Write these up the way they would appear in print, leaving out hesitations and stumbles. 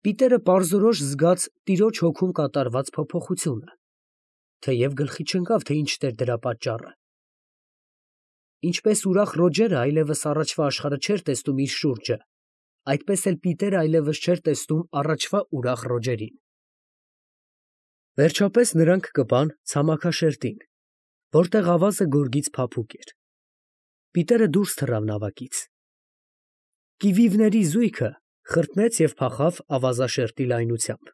Պիտերը պարզորոշ զգաց տիրոջ հոգում կատարված փոփոխությունը, թեև գլխի չընկավ, թե ինչն էր դրա պատճառը։ Ինչպես ուրախ Ռոջերը այլևս առաջվա աշխարհը չէր տեսնում իր շուրջը, այդպես էլ Պիտերը այլևս չէր տեսնում առաջվա ուրախ Ռոջերին։ Վերջապես նրանք կպան ցամաքաշերտին, որտեղ ավազը գորգից փափուկ էր։ Պիտերը դուրս թռավ նավակից։ Կիվիվների զույգը խրտնեց և փախավ ավազաշերտի լայնությամբ։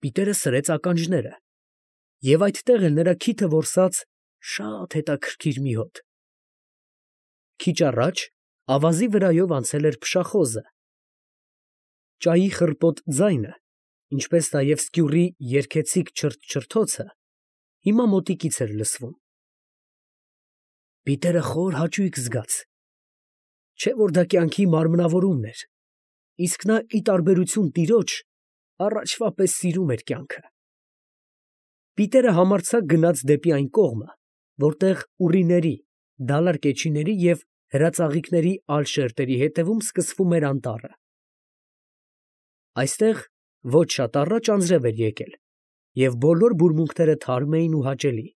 Պիտերը սրեց ականջները, և այդտեղ էլ նրա քիթը որսաց շատ հետաքրքիր մի հոտ։ Քիչ առաջ ավազի վրայով անցել էր փշախոզը։ Ճայի խռպոտ ձայնը, ինչպես նաև սկյուռի երգեցիկ չրթչրթոցը հիմա մոտիկից էր լսվում։ Պիտերը խոր հաճույք զգաց, չէ՞ որ դա կյանքի մարմնավորումն էր, իսկ նա, ի տարբերություն տիրոջ, առաջվա պես սիրում էր կյանքը։ Պիտերը համարձակ գնաց դեպի այն կողմը, որտեղ ուռիների, դալար կեչիների և հրածաղիկների այլ շերտերի հետևում սկսվում էր անտառը։ Այստեղ ոչ շատ առաջ անձրև էր եկել, և բոլոր բուրմունքները թարմ էին ու հաճելի։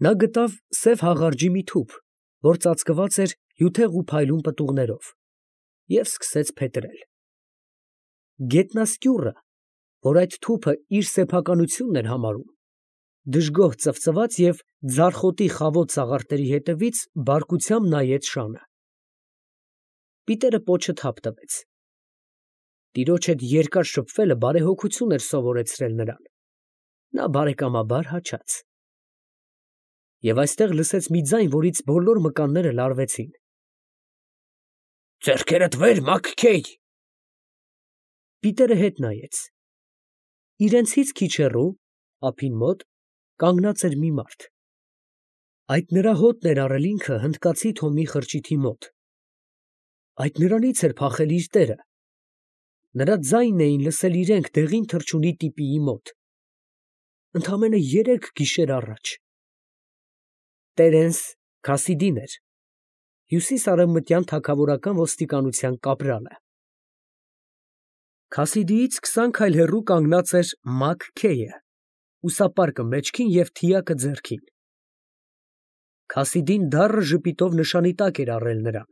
Նա գտավ սև հաղարջի մի թուփ, որ ծածկված էր հյութեղ ու փայլուն պտուղներով, և սկսեց փետրել։ Գետնասկյուռը, որ այդ թուփը իր սեփականությունն էր համարում, դժգոհ ծվծվաց և ձարխոտի խավոտ սաղարթերի հետևից բարկությամբ նայեց շանը։ Պիտերը պոչը թափ տվեց։ Տիրոջ հետ երկար շփվելը բարեհոգություն էր սովորեցրել նրան։ Նա բարեկամաբար հաչաց։ Եվ այստեղ լսեց մի ձայն, որից բոլոր մկանները լարվեցին։ «Ձեռքերդ վեր, Մաքքեյ»։ Պիտերը հետ նայեց։ Իրենցից քիչ հեռու, ափին մոտ, կանգնած էր մի մարդ։ Այդ նրա հոտն էր առել ինքը հնդկացի Թոմի խրճիթի մոտ։ Այդ նրանից էր փախել իր տերը։ Նրա ձայնն էին լսել իրենք դեղին թռչունի տիպիի մոտ։ Ընդամենը 3 գիշեր առաջ։ Տերենս Քասիդին էր, հյուսիս֊արևմտյան թագավորական ոստիկանության կապրալը։ Քասիդիից 20 քայլ հեռու կանգնած էր Մաքքեյը, ուսապարկը մեջքին և թիակը ձեռքին։ Քասիդին դառը ժպիտով նշանի տակ էր առել նրան։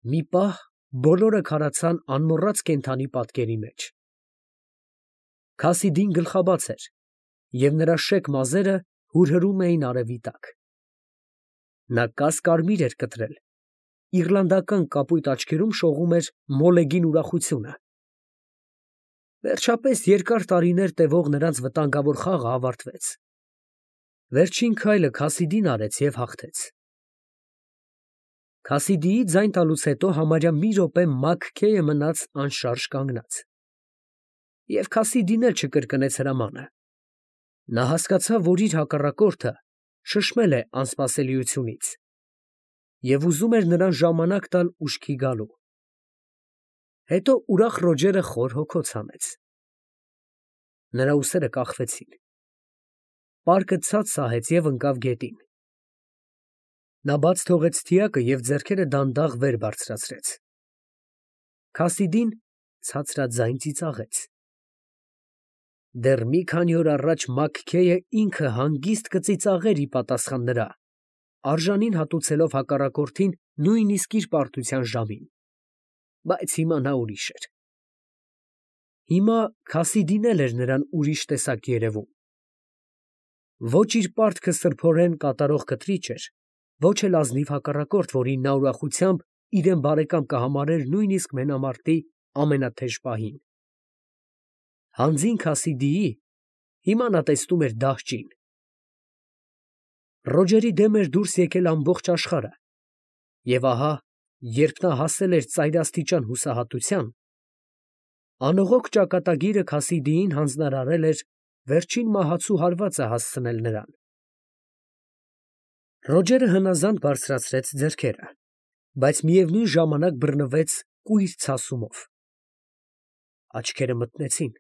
Մի պահ բոլորը քարացան անմոռաց կենդանի պատկերի մեջ։ Քասիդին գլխաբաց էր, և նրա շեկ մազերը հուրհրում էին արևի տակ։ Նա կաս֊կարմիր էր կտրել, իռլանդական կապույտ աչքերում շողում էր մոլեգին ուրախությունը։ Վերջապես երկար տարիներ տևող նրանց վտանգավոր խաղը ավարտվեց։ Վերջին քայլը Քասիդին արեց և հաղթեց։ Քասիդիի ձայն տալուց հետո համարյա մի րոպե Մաքքեյը մնաց անշարժ կանգնած։ Եվ Քասիդին էլ չկրկնեց հրամանը։ Նա հասկացավ, որ իր հակառակորդը շշմել է անսպասելիությունից և ուզում էր նրան ժամանակ տալ ուշքի գալու։ Հետո ուրախ Ռոջերը խոր հոգոց հանեց։ Նրա ուսերը կախվեցին։ Պարկը ցած սահեց և ընկավ գետին։ Նա բաց թողեց թիակը և ձեռքերը դանդաղ վեր բարձրացրեց։ Քասիդին ցածրաձայն ծիծաղեց։ Դեռ մի քանի օր առաջ Մաքքեյը ինքը հանգիստ կծիծաղեր ի պատասխան նրա, արժանին հատուցելով հակառակորդին նույնիսկ իր պարտության ժամին։ Բայց հիմա նա ուրիշ էր։ Հիմա Քասիդին էլ էր նրան ուրիշ տեսակ երևում։ Ոչ իր պարտքը սրբորեն կատարող կտրիչ էր, ոչ էլ ազնիվ հակառակորդ, որին նա ուրախությամբ իրեն բարեկամ կհամարեր նույնիսկ մենամարտի ամենաթեժ պահին։ Հանձին Քասիդիի հիմա նա տեսնում էր դահճին։ Ռոջերի դեմ էր դուրս եկել ամբողջ աշխարհը, և ահա, երբ նա հասել էր ծայրաստիճան հուսահատության, անողոք ճակատագիրը Քասիդիին հանձնարարել էր վերջին մահացու հարվածը հասցնել նրան։ Ռոջերը հնազանդ բարձրացրեց ձեռքերը, բայց միևնույն ժամանակ բռնվեց կույր ցասումով։ Աչքերը մթնեցին։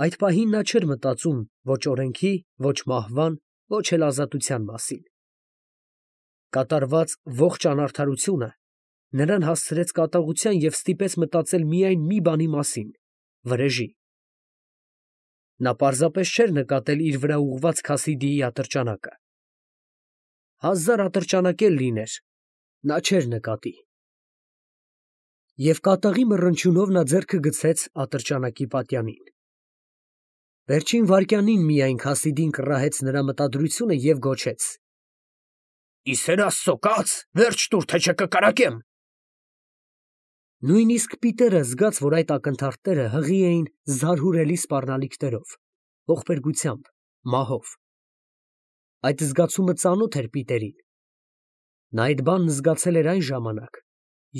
Այդ պահին նա չէր մտածում ոչ օրենքի, ոչ մահվան, ոչ էլ ազատության մասին։ Կատարված ողջ անարդարությունը նրան հասցրեց կատաղության և ստիպեց մտածել միայն մի բանի մասին՝ վրեժի։ Նա պարզապես չէր նկատել իր վրա ուղղված Քասիդիի ատրճանակը։ Հազար ատրճանակ էլ լիներ, նա չէր նկատի։ Եվ կատաղի մռնչյունով նա ձեռքը գցեց ատրճանակի պատյանին։ Վերջին վայրկյանին միայն Քասիդին կռահեց նրա մտադրությունը և գոչեց. «Ի սեր Աստծո, կաց, վերջ տուր, թե չէ կկրակեմ»։ Նույնիսկ Պիտերը զգաց, որ այդ ակնթարթները հղի էին զարհուրելի սպառնալիքներով, ողբերգությամբ, մահով։ Այդ զգացումը ծանոթ էր Պիտերին։ Նա այդ բանն զգացել էր այն ժամանակ,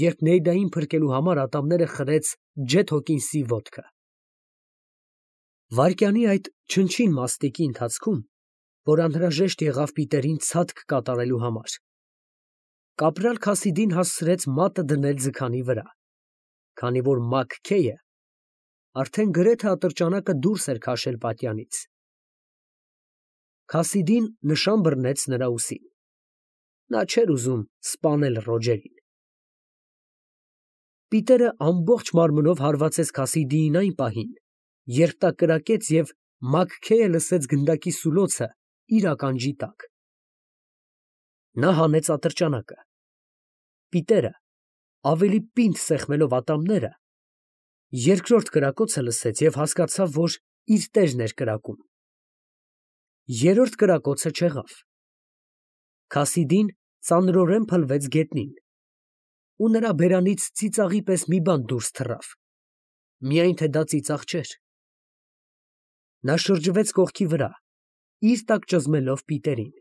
երբ Նեյդային փրկելու համար ատամները խրեց Ջեթ Հոքինսի ոտքը։ Վայրկյանի այդ չնչին մաստիկի ընթացքում, որ անհրաժեշտ եղավ Պիտերին ցատկ կատարելու համար, կապրալ Քասիդին հասցրեց մատը դնել ձգանի վրա, քանի որ Մաքքեյը արդեն գրեթե ատրճանակը դուրս էր քաշել պատյանից։ Քասիդին նշան բռնեց նրա ուսին։ Նա չէր ուզում սպանել Ռոջերին։ Պիտերը ամբողջ մարմնով հարվածեց Քասիդիին այն պահին, երբ նա կրակեց և Մաքքեյը լսեց գնդակի սուլոցը իր ականջի տակ։ Նա հանեց ատրճանակը։ Պիտերը, ավելի պինդ սեղմելով ատամները, երկրորդ կրակոցը լսեց և հասկացավ, որ իր տերն էր կրակում։ Երրորդ կրակոցը չեղավ։ Քասիդին ծանրորեն փլվեց գետնին, ու նրա բերանից ծիծաղի պես մի բան դուրս թռավ, միայն թե դա ծիծաղ չէր։ Նա շրջվեց կողքի վրա, իր տակ ճզմելով Պիտերին։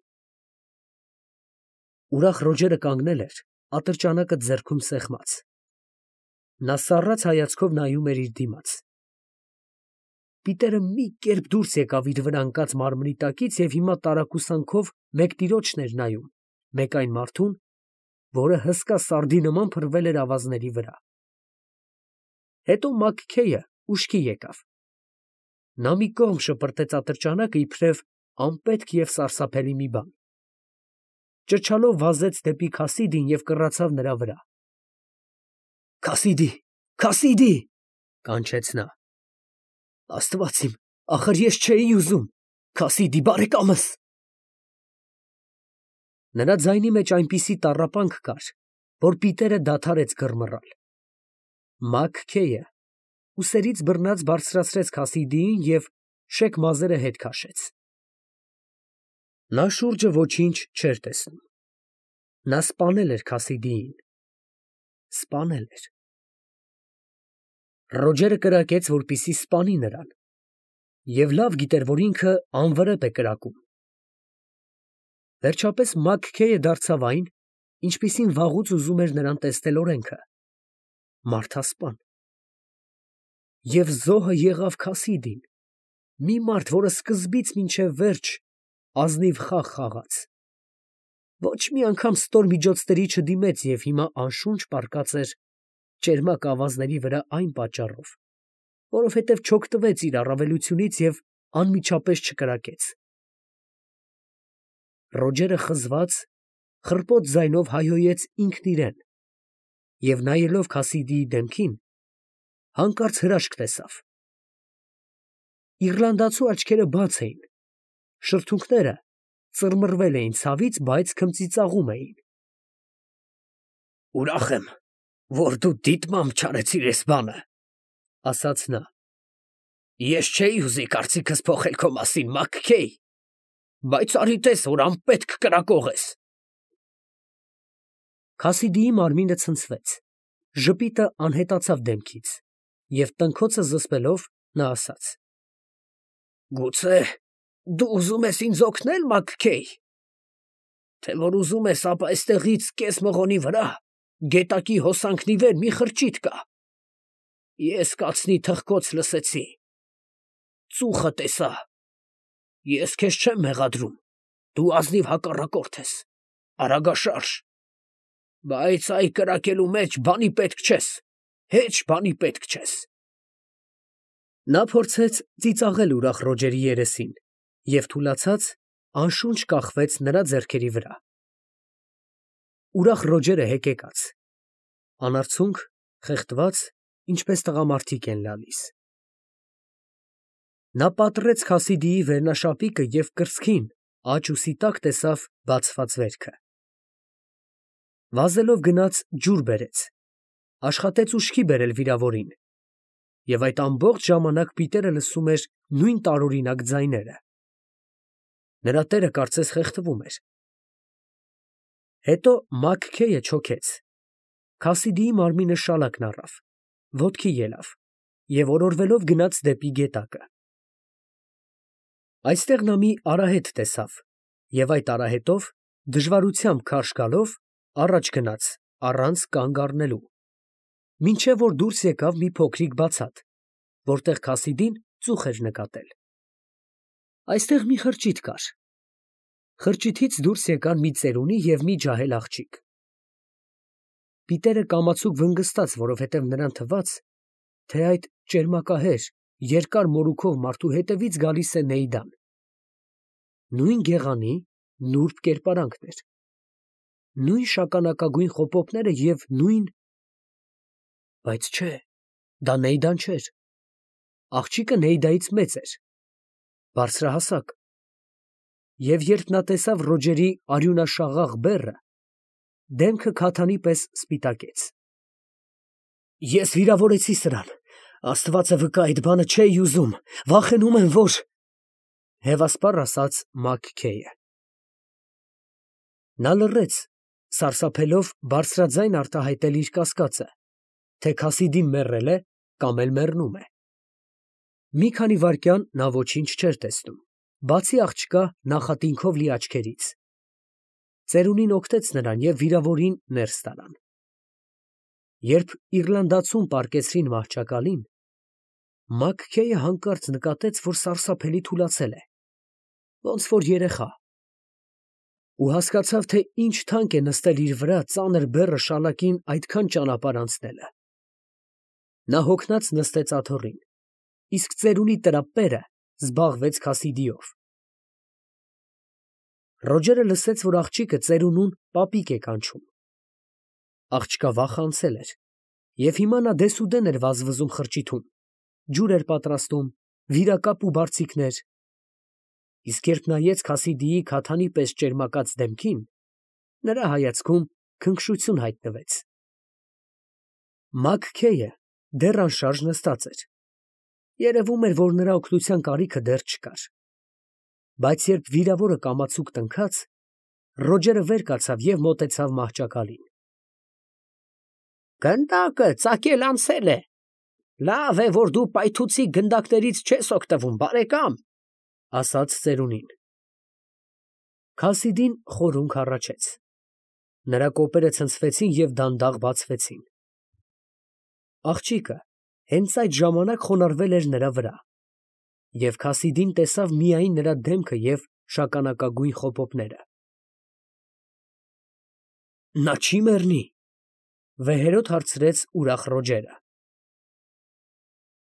Ուրախ Ռոջերը կանգնել էր, ատրճանակը ձեռքում սեղմած։ Նա սառած հայացքով նայում էր իր դիմաց։ Պիտերը մի կերպ դուրս եկավ իր վրա ընկած մարմնի տակից և հիմա տարակուսանքով մեկ տիրոջն էր նայում, մեկ այն մարդուն, որը հսկա սարդի նման փռվել էր ավազների վրա։ Հետո Մաքքեյը ուշքի եկավ։ Նա մի կողմ շպրտեց ատրճանակը իբրև անպետք և սարսափելի մի բան։ Ճչալով վազեց դեպի Քասիդին և կռացավ նրա վրա։ «Քասիդի, Քասիդի», կանչեց նա։ «Աստված իմ, ախր ես չէի ուզում, Քասիդի բարեկամս»։ Նրա ձայնի մեջ այնպիսի տառապանք կար, որ Պիտերը դադարեց գռմռալ։ Մաքքեյը ուսերից բռնած բարձրացրեց Քասիդիին և շեք մազերը հետ քաշեց։ Նա շուրջը ոչինչ չէր տեսնում։ Նա սպանել էր Քասիդիին։ Սպանել էր։ Ռոջերը կրակեց, որպեսզի սպանի նրան, և լավ գիտեր, որ ինքը անվրեպ է կրակում։ Վերջապես Մաքքեյը դարձավ այն, ինչպիսին վաղուց ուզում էր նրան տեսնել օրենքը՝ մարդասպան։ Եվ զոհը եղավ Քասիդին, մի մարդ, որը սկզբից մինչև վերջ ազնիվ խաղ խաղաց, ոչ մի անգամ ստորմիջոցների չդիմեց և հիմա անշունչ պառկած էր ճերմակ ավազների վրա այն պատճառով, որովհետև չօգտվեց իր առավելությունից և անմիջապես չկրակեց։ Ռոջերը խզված, խռպոտ ձայնով հայհոյեց ինքն իրեն և, նայելով Քասիդիի դեմքին, հանկարծ հրաշք տեսավ։ Իռլանդացու աչքերը բաց էին, շրթունքները ծռմռվել էին ցավից, բայց քմծիծաղում էին։ «Ուրախ եմ, որ դու դիտմամբ չարեցիր էս բանը», ֊ ասաց նա։ «Ես չէի ուզի կարծիքս փոխել քո մասին, Մաքքեյ, բայց արի տես, որ անպետք կրակող ես»։ Քասիդիի մարմինը ցնցվեց, ժպիտը անհետացավ դեմքից, և տնքոցը զսպելով նա ասաց. «Գուցե դու ուզում ես ինձ օգնե՞լ, Մաքքեյ, թե որ ուզում ես, ապա էստեղից կես մղոնի վրա, գետակի հոսանքն ի վեր մի խրճիթ կա։ Ես կացնի թխկոց լսեցի, ծուխը տեսա։ Ես քեզ չեմ մեղադրում, դու ազնիվ հակառակորդ ես, արագաշարժ, բայց այ կրակելու մեջ բանի պետք չես, հեչ բանի պետք չես»։ Նա փորձեց ծիծաղել ուրախ Ռոջերի երեսին և թուլացած անշունչ կախվեց նրա ձեռքերի վրա։ Ուրախ Ռոջերը հեկեկաց։ անարցունք, խեղդված, ինչպես տղամարդիկ են լալիս։ Նա պատռեց Խասիդիի վերնաշապիկը և կրծքին, աջ ուսի տակ տեսավ բացված վերքը։ Վազելով գնաց ջուր բերեց, աշխատեց ուշքի բերել վիրավորին, և այդ ամբողջ ժամանակ Պիտերը լսում էր նույն տարօրինակ ձայները։ Նրա տերը կարծես խեղդվում էր։ Հետո Մաքքեյը չոքեց, Խասիդիի մարմինը շալակն առավ, ոտքի ելավ և օրորվելով գնաց դեպի գետակը։ Այստեղ նա մի արահետ տեսավ և այդ արահետով դժվարությամբ քարշ գալով առաջ գնաց առանց կանգ առնելու, մինչև որ դուրս եկավ մի փոքրիկ բացատ, որտեղ Խասիդին ծուխ էր նկատել։ Այստեղ մի խրճիթ կար։ Խրճիթից դուրս եկան մի ծերունի և մի ջահել աղջիկ։ Պիտերը կամացուկ վնգստաց, որովհետև նրան թվաց, թե այդ ճերմակահեր, երկար մորուքով մարդու հետևից գալիս է Նեյդան։ Նույն գեղանի, նուրբ կերպարանքն էր, նույն շագանակագույն խոպոպները և նույն… Բայց չէ, դա Նեյդան չէր։ Աղջիկը Նեյդայից մեծ էր, բարձրահասակ, և երբ նա տեսավ Ռոջերի արյունաշաղախ բեռը, դեմքը քաթանի պես սպիտակեց։ Ես վիրավորեցի սրան, Աստվածը վկա, այդ բանը չէի ուզում, վախենում եմ, որ… հևասպառ ասաց Մաքքեյը։ Նա լռեց, սարսափելով բարձրաձայն արտահայտել իր կասկածը, թե Խասիդին մեռել է կամ էլ մեռնում է։ Մի քանի վայրկյան նա ոչինչ չէր տեսնում, բացի աղջկա նախատինքով լի աչքերից։ Ծերունին օգնեց նրան և վիրավորին ներս տարան։ Երբ Իռլանդացուն պառկեցրին մահճակալին, Մաքքեյը հանկարծ նկատեց, որ սարսափելի թուլացել է, ոնց որ երեխա, ու հասկացավ, թե ինչ թանկ է նստել իր վրա ծանր բեռը շալակին այդքան ճանապարհ անցնելը։ Նա հոգնած նստեց աթոռին, իսկ ծերունի տրապերը զբաղվեց Խասիդիով։ Ռոջերը լսեց, որ աղջիկը ծերունուն պապիկ է կանչում։ Աղջկա վախը անցել էր, և հիմա նա դեսուդեն էր վազվզում խրճիթում, ջուր էր պատրաստում, վիրակապ ու բարձիկներ, իսկ երբ նայեց Խասիդիի քաթանի պես ճերմակած դեմքին, նրա հայացքում քնքշություն հայտնվեց։ Մաքքեյը դեռ անշարժ նստած էր։ Երևում էր, որ նրա օգնության կարիքը դեռ չկար։ Բայց երբ վիրավորը կամացուկ տնքաց, Ռոջերը վեր կացավ և մոտեցավ մահճակալին։ Գնդակը ծակել անցել է։ Լավ է, որ դու պայթուցիկ գնդակներից չես օգտվում, բարեկամ, ասաց ծերունին։ Խասիդին խորհունք հառաչեց։ Նրա կոպերը ցնցվեցին և դանդաղ բացվեցին։ Աղջիկը հենց այդ ժամանակ խոնարհվել էր նրա վրա, և Խասիդին տեսավ միայն նրա դեմքը և շագանակագույն խոպոպները։ Նա չի մեռնի, վեհերոտ հարցրեց ուրախ Ռոջերը։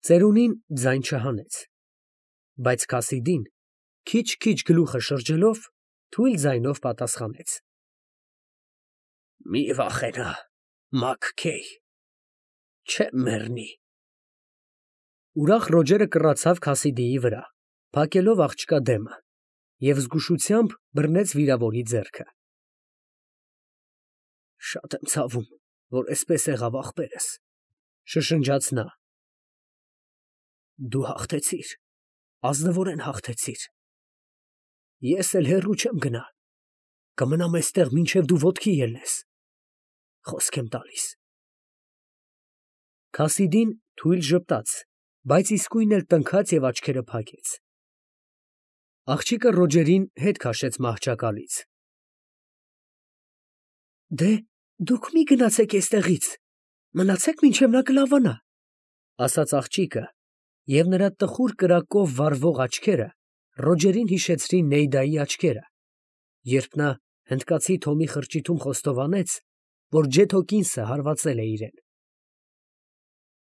Ծերունին ձայն չհանեց, բայց Խասիդին, քիչ֊քիչ գլուխը շրջելով, թույլ ձայնով պատասխանեց. Մի վախենա, Մաքքեյ, չեմ մեռնի։ Ուրախ Ռոջերը կռացավ Խասիդիի վրա, փակելով աղջկա դեմը, և զգուշությամբ բռնեց վիրավորի ձեռքը։ Շատ եմ ցավում, որ էսպես եղավ ախպերս, շշնջաց նա։ Դու հաղթեցիր, ազնվորեն հաղթեցիր։ Ես էլ հեռու չեմ գնա, կմնամ էստեղ, մինչև դու ոտքի ելնես, խոսք եմ տալիս։ Խասիդին թույլ ժպտաց, բայց իսկույն էլ տնքաց և աչքերը փակեց։ Աղջիկը Ռոջերին հետ քաշեց մահճակալից։ Դե, դուք մի գնացեք էստեղից, մնացեք, մինչև նա կլավանա, ասաց աղջիկը, և նրա տխուր կրակով վառվող աչքերը Ռոջերին հիշեցրին Նեյդայի աչքերը, երբ նա հնդկացի Թոմի խրճիթում խոստովանեց, որ Ջեթոկինսը հարվածել է իրեն։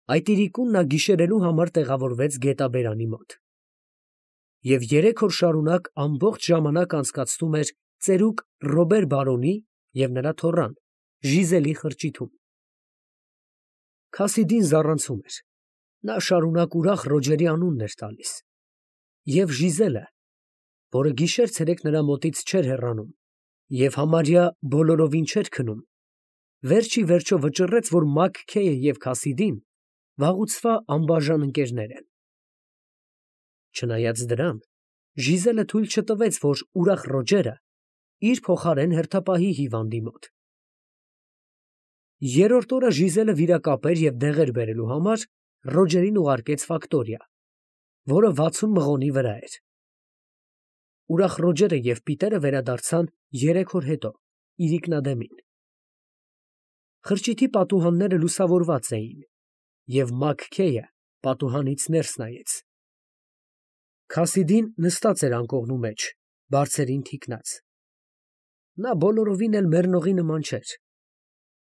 Այդ իրիկուն նա գիշերելու համար տեղավորվեց գետաբերանի մոտ և 3 օր շարունակ ամբողջ ժամանակ անցկացնում էր ծերուկ Ռոբեր բարոնի և նրա թոռան Ժիզելի խրճիթում։ Քասիդին զառանցում էր։ Նա շարունակ ուրախ Ռոջերի անունն էր տալիս։ Եվ Ժիզելը, որը գիշեր-ցերեկ նրա մոտից չէր հեռանում և համարյա բոլորովին չէր քնում, վերջ ի վերջո վճռեց, որ Մաքքեյը և Քասիդին վաղուցվա անբաժան ընկերներ են։ Չնայած դրան, Ժիզելը թույլ չտվեց, որ ուրախ Ռոջերը իր փոխարեն հերթապահի հիվանդի մոտ։ Երրորդ օրը Ժիզելը վիրակապեր և դեղեր բերելու համար Ռոջերին ուղարկեց ֆակտորիա, որը 60 մղոնի վրա էր։ Ուրախ Ռոջերը և Պիտերը վերադարձան 3 օր հետո իրիկնադեմին։ Խրճիթի պատուհանները լուսավորված էին, և Մաքքեյը պատուհանից ներս նայեց։ Քասիդին նստած էր անկողնու մեջ, բարձերին թիկնած։ Նա բոլորովին էլ մեռնողի նման չէր։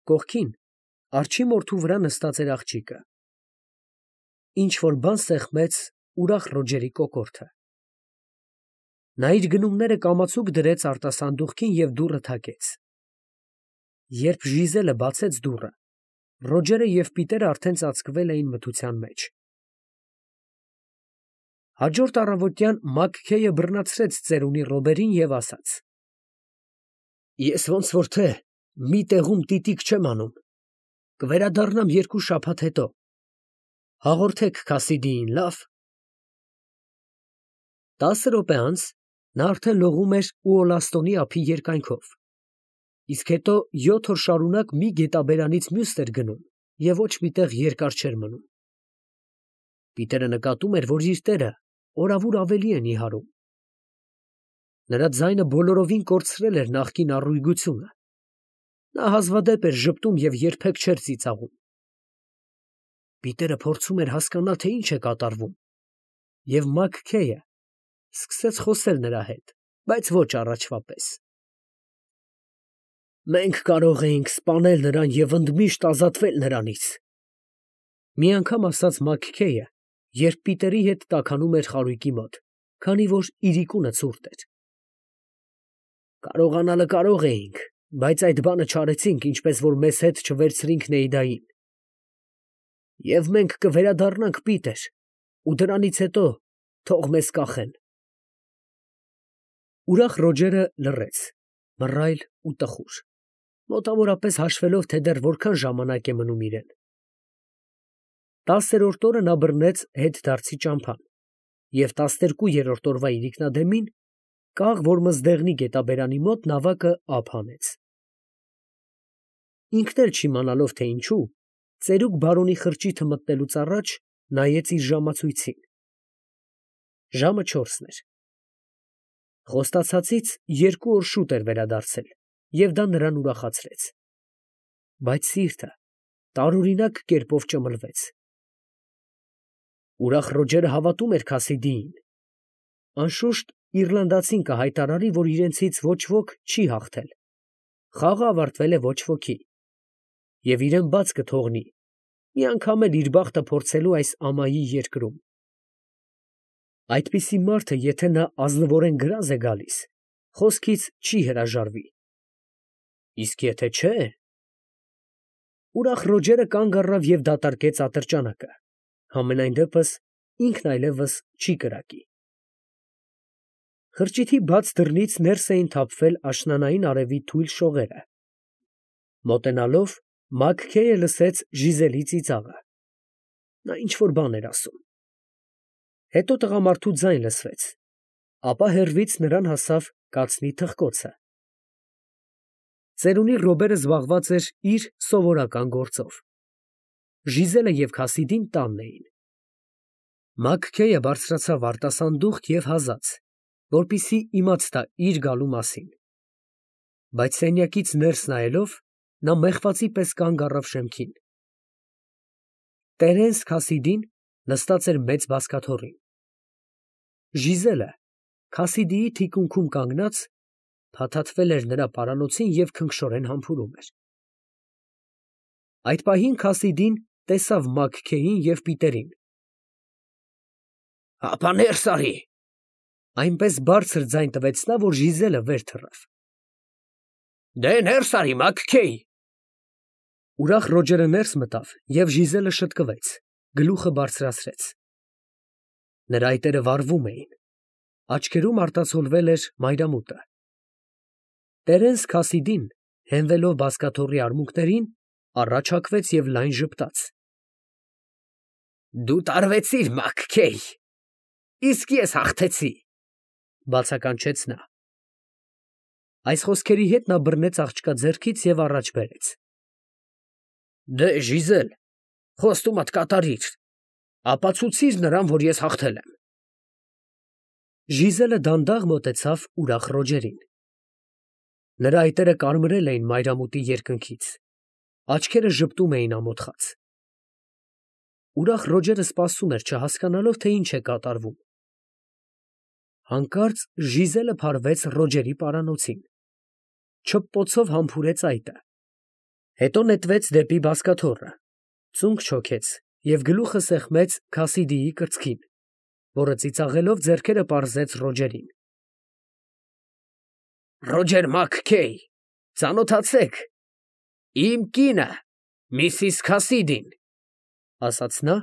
Կողքին, արջի մորթու վրա նստած էր աղջիկը։ Ինչ-որ բան սեղմեց ուրախ Ռոջերի կոկորդը։ Նա իր գնումները կամացուկ դրեց արտասանդուղքին և դուռը թակեց։ Երբ Ժիզելը բացեց դուռը, Ռոջերը և Պիտերը արդեն ծածկվել էին մթության մեջ։ Հաջորդ առավոտյան Մաքքեյը բռնացրեց ծերունի Ռոբերին և ասաց. «Ես ոնց որ թե մի տեղում տիտիկ չեմ անում, կվերադառնամ 2 շաբաթ հետո, հաղորդեք Քասիդիին, լավ»։ 10 րոպե անց նա արդեն լողում էր Ուոլաստոնի ափի երկայնքով, իսկ հետո 7 օր շարունակ մի գետաբերանից մյուս էր գնում և ոչ մի տեղ երկար չէր մնում։ Պիտերը նկատում էր, որ իր տերը օրավուր ավելի է նիհարում։ Նրա ձայնը բոլորովին կորցրել էր նախկին առույգությունը։ Նա հազվադեպ էր ժպտում և երբեք չէր ծիծաղում։ Պիտերը փորձում էր հասկանալ, թե ինչ է կատարվում, և Մաքքեյը սկսեց խոսել նրա հետ, բայց ոչ առաջվա պես։ «Մենք կարող էինք սպանել նրան և ընդմիշտ ազատվել նրանից», մի անգամ ասաց Մաքքեյը, երբ Պիտերի հետ տաքանում էր խարույկի մոտ, քանի որ իրիկունը ցուրտ էր։ «Կարողանալը կարող էինք, բայց այդ բանը չարեցինք, ինչպես որ մեզ հետ չվերցրինք Նեյդային։ Եվ մենք կվերադառնանք, Պիտեր, ու դրանից հետո թող մեզ կախեն»։ Ուրախ Ռոջերը լռեց, մռայլ ու տխուր, մոտավորապես հաշվելով, թե դեռ որքան ժամանակ է մնում իրեն։ 10-րդ օրը նա բռնեց հետդարձի ճամփան և 12-րդ օրվա իրիկնադեմին կաղ Որմզդեղնի գետաբերանի մոտ նավակը ափ հանեց։ Ինքն էլ չիմանալով, թե ինչու, ծերուկ բարոնի խրճիթը մտնելուց առաջ նայեց իր ժամացույցին։ Ժամը 4-ն էր։ Խոստացածից 2 օր շուտ էր վերադարձել, և դա նրան ուրախացրեց։ Բայց սիրտը տարօրինակ կերպով ճմլվեց։ Ուրախ Ռոջերը հավատում էր Քասիդիին։ Անշուշտ իռլանդացին կհայտարարի, որ իրենցից ոչ ոք չի հաղթել, խաղը ավարտվել է ոչ ոքի, և իրեն բաց կթողնի, մի անգամ էլ իր բախտը փորձելու այս ամայի երկրում։ Այդպիսի մարդը, եթե նա ազնվորեն գրազ է գալիս, խոսքից չի հրաժարվի։ Իսկ եթե չէ… Ուրախ Ռոջերը կանգ առավ և դատարկեց ատրճանակը, համենայն դեպս ինքն այլևս չի կրակի։ Խրճիթի բաց դռնից ներս էին թափվել աշնանային արևի թույլ շողերը։ Մոտենալով, Մաքքեյը լսեց Ժիզելի ծիծաղը։ Նա ինչ֊որ բան էր ասում։ Հետո տղամարդու ձայն լսվեց, ապա հեռվից նրան հասավ կացնի թխկոցը։ Ծերունի Ռոբերը զբաղված էր իր սովորական գործով։ Ժիզելը և Քասիդին տանն էին։ Մաքքեյը բարձրացավ արտասանդուղք և հազաց, որպեսզի իմաց տա իր գալու մասին։ Բայց սենյակից ներս նայելով, նա մեղվածի պես կանգ առավ շեմքին։ Տերենս Քասիդին նստած էր մեծ բազկաթոռին։ Ժիզելը, Քասիդիի թիկունքում կանգնած, փաթաթվել էր նրա պարանոցին և քնքշորեն համբուրում էր։ Այդ պահին Քասիդին տեսավ Մաքքեյին և Պիտերին։ «Հապա ներս արի», այնպես բարձր ձայն տվեց նա, որ Ժիզելը վեր թռավ։ «Դե ներս արի, Մաքքեյ»։ Ուրախ Ռոջերը ներս մտավ և Ժիզելը շտկվեց, գլուխը բարձրացրեց. նրա այտերը վառվում էին, աչքերում արտացոլվել էր մայրամուտը։ Տերենս Քասիդին, հենվելով բազկաթոռի արմունկներին, առաջ հակվեց և լայն ժպտաց. «Դու տարվեցիր, Մաքքեյ, իսկ ես հաղթեցի», բացականչեց նա։ Այս խոսքերի հետ նա բռնեց աղջկա ձեռքից և առաջ բերեց։ «Դե, Ժիզել, խոստումդ կատարիր, ապացուցիր նրան, որ ես հաղթել եմ»։ Ժիզելը դանդաղ մոտեցավ ուրախ Ռոջերին։ Նրա այտերը կարմրել էին մայրամուտի երկնքից, աչքերը ժպտում էին ամոթխած։ Ուրախ Ռոջերը սպասում էր, չհասկանալով, թե ինչ է կատարվում։ Հանկարծ Ժիզելը փարվեց Ռոջերի պարանոցին, չփպոցով համբուրեց այտը, հետո նետվեց դեպի բազկաթոռը, ծունկ չոքեց և գլուխը սեղմեց Քասիդիի կրծքին, որը ծիծաղելով ձեռքերը պարզեց Ռոջերին։ «Ռոջեր Մաքքեյ, ծանոթացեք, իմ կինը, Միսիս Քասիդին», ասաց նա,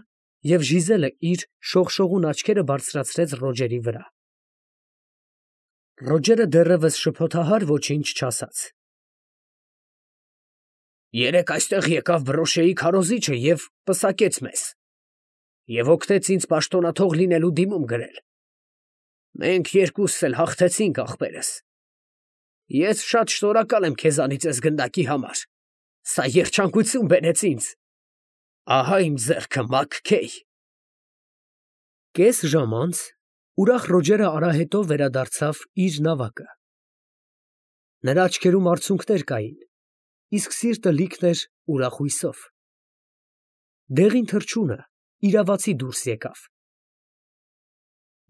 և Ժիզելը իր շողշողուն աչքերը բարձրացրեց Ռոջերի վրա։ Ռոջերը դեռևս շփոթահար ոչինչ չասաց։ «Երեկ այստեղ եկավ բրոշեի քարոզիչը և պսակեց մեզ, և օգնեց ինձ պաշտոնաթող լինելու դիմում գրել։ Մենք երկուսս էլ հաղթեցինք, ախպերս։ Ես շատ շնորհակալ եմ քեզանից էս գնդակի համար, սա երջանկություն բերեց ինձ։ Ահա իմ ձեռքը, Մաքքեյ»։ Կես ժամ անց ուրախ Ռոջերը արահետով վերադարձավ իր նավակը։ Նրա աչքերում արցունքներ կային, իսկ սիրտը լիքն էր ուրախ հույսով։ Դեղին թռչունը իրավացի դուրս եկավ։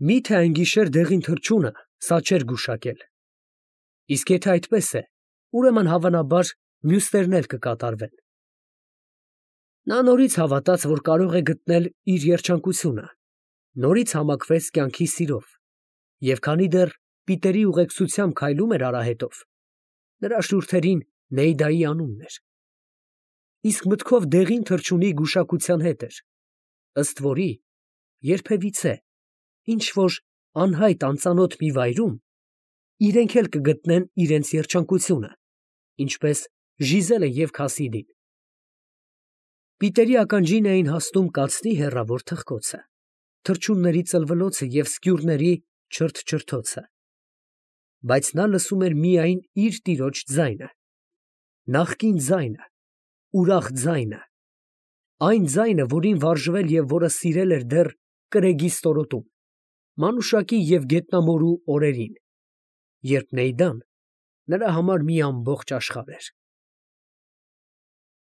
Միթե այն գիշեր դեղին թռչունը սա չէր գուշակել։ Իսկ եթե այդպես է, ուրեմն հավանաբար մյուսներն էլ կկատարվեն։ Նա նորից հավատաց, որ կարող է գտնել իր երջանկությունը, նորից համակվեց կյանքի սիրով, և քանի դեռ Պիտերի ուղեկցությամբ քայլում էր արահետով, նրա շուրթերին Նեյդայի անունն էր։ Իսկ մտքով դեղին թռչունի գուշակության հետ էր, ըստ որի երբևիցե ինչ֊որ անհայտ անծանոթ մի վայրում իրենք էլ կգտնեն իրենց երջանկությունը, ինչպես Ժիզելը և Քասիդին։ Պիտերի ականջին էին հասնում կացնի հեռավոր թխկոցը, թռչունների ծլվլոցը և սկյուռների չրթչրթոցը, բայց նա լսում էր միայն իր տիրոջ ձայնը, նախկին ձայնը, ուրախ ձայնը, այն ձայնը, որին վարժվել և որը սիրել էր դեռ կրեգի ստորոտում, մանուշակի և գետնամորու օրերին, երբ Նեյդան նրա համար մի ամբողջ աշխարհ էր։